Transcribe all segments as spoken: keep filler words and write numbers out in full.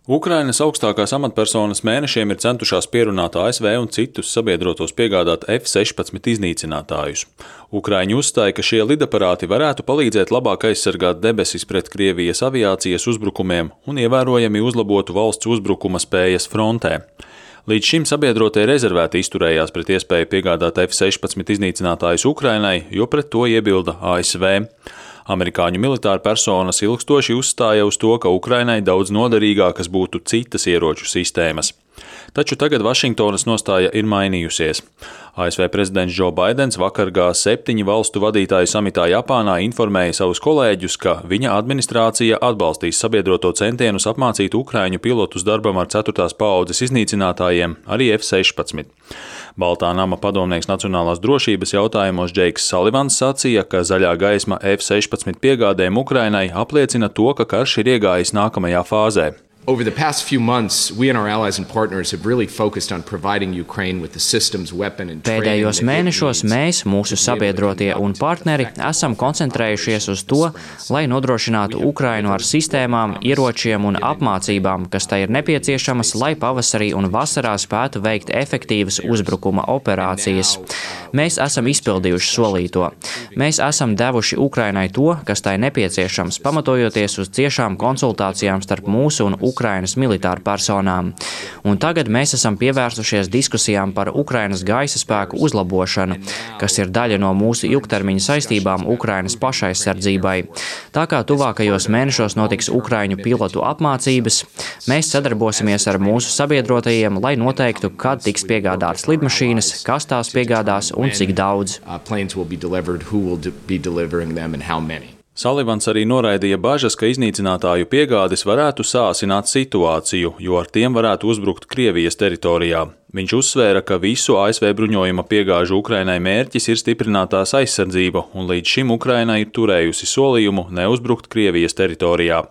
Ukrainas augstākās amatpersonas mēnešiem ir centušās pierunāt A S V un citus sabiedrotos piegādāt F sešpadsmit iznīcinātājus. Ukraiņi uzstāja, ka šie lidaparāti varētu palīdzēt labāk aizsargāt debesis pret Krievijas aviācijas uzbrukumiem un ievērojami uzlabotu valsts uzbrukuma spējas frontē. Līdz šim sabiedrotie rezervēti izturējās pret iespēju piegādāt F sešpadsmit iznīcinātājus Ukrainai, jo pret to iebilda A S V. Amerikāņu militāra personas ilgstoši uzstāja uz to, ka Ukrainai daudz noderīgākas būtu citas ieroču sistēmas. Taču tagad Vašingtonas nostāja ir mainījusies. A S V prezidents Džo Baidens vakar G septiņu valstu vadītāju samitā Japānā informēja savus kolēģus, ka viņa administrācija atbalstīs sabiedroto centienus apmācīt ukraiņu pilotus darbam ar ceturtās paaudzes iznīcinātājiem, arī F sešpadsmit. Baltā nama padomnieks nacionālās drošības jautājumos Džeiks Salivans sacīja, ka zaļā gaisma F sešpadsmit piegādēm Ukrainai apliecina to, ka karš ir iegājis nākamajā fāzē. Over the past few months, we and our allies and partners have really focused on providing Ukraine with the systems, weapon and training. Pēdējos mēnešos mēs, mūsu sabiedrotie un partneri, esam koncentrējušies uz to, lai nodrošinātu Ukrainu ar sistēmām, ieročiem un apmācībām, kas tai ir nepieciešamas, lai pavasarī un vasarā spētu veikt efektīvas uzbrukuma operācijas. Mēs esam izpildījuši solīto. Mēs esam devuši Ukrainai to, kas tai nepieciešams, pamatojoties uz ciešām konsultācijām starp mūsu un Ukrainas militāru personām. Un tagad mēs esam pievērsušies diskusijām par Ukrainas gaisa spēku uzlabošanu, kas ir daļa no mūsu ilgtermiņa saistībām Ukrainas pašaizsardzībai. Tā kā tuvākajos mēnešos notiks ukraiņu pilotu apmācības, mēs sadarbosimies ar mūsu sabiedrotajiem, lai noteiktu, kad tiks piegādātas lidmašīnas, kas tās piegādās un cik daudz. Salivans arī noraidīja bažas, ka iznīcinātāju piegādes varētu sāsināt situāciju, jo ar tiem varētu uzbrukt Krievijas teritorijā. Viņš uzsvēra, ka visu A S V bruņojuma piegāžu Ukrainai mērķis ir stiprinātās aizsardzība, un līdz šim Ukraina ir turējusi solījumu neuzbrukt Krievijas teritorijā.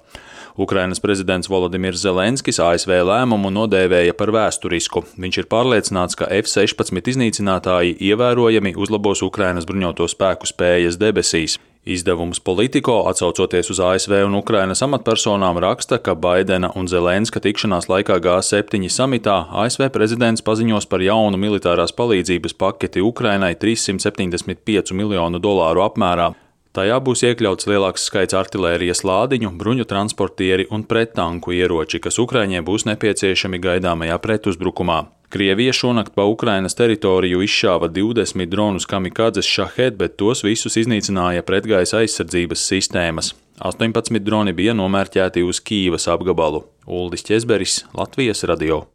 Ukrainas prezidents Volodimirs Zelenskis A S V lēmumu nodēvēja par vēsturisku. Viņš ir pārliecināts, ka F sešpadsmit iznīcinātāji ievērojami uzlabos Ukrainas bruņoto spēku spējas debesīs. Izdevums Politico, atsaucoties uz A S V un Ukrainas amatpersonām, raksta, ka Baidena un Zelenska tikšanās laikā G septiņu samitā A S V prezidents paziņos par jaunu militārās palīdzības paketi Ukrainai trīssimt septiņdesmit pieci miljonu dolāru apmērā. Tajā būs iekļauts lielāks skaits artilērijas lādiņu, bruņu transportieri un prettanku ieroči, kas Ukraiņiem būs nepieciešami gaidāmajā pretuzbrukumā. Krievija šonakt pa Ukrainas teritoriju izšāva divdesmit dronus kamikadzes Shahed, bet tos visus iznīcināja pretgaisa aizsardzības sistēmas. astoņpadsmit droni bija nomērķēti uz Kīivas apgabalu. Uldis Ķezberis, Latvijas radio.